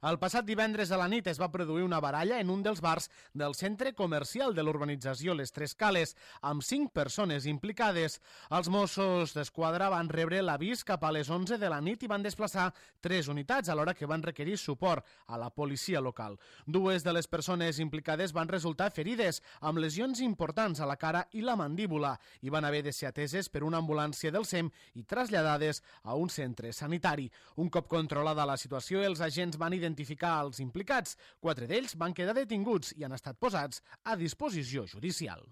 El passat divendres a la nit es va produir una baralla en un dels bars del centre comercial de l'urbanització Les Tres Cales, amb 5 persones implicades. Els Mossos d'Esquadra van rebre l'avís cap a les 11 de la nit i van desplaçar 3 unitats, alhora que van requerir suport a la policia local. 2 de les persones implicades van resultar ferides, amb lesions importants a la cara i la mandíbula, i van haver de ser ateses per una ambulància del SEM i traslladades a un centre sanitari. Un cop controlada la situació, els agents van identificar els implicats. 4 d'ells van quedar detinguts i han estat posats a disposició judicial.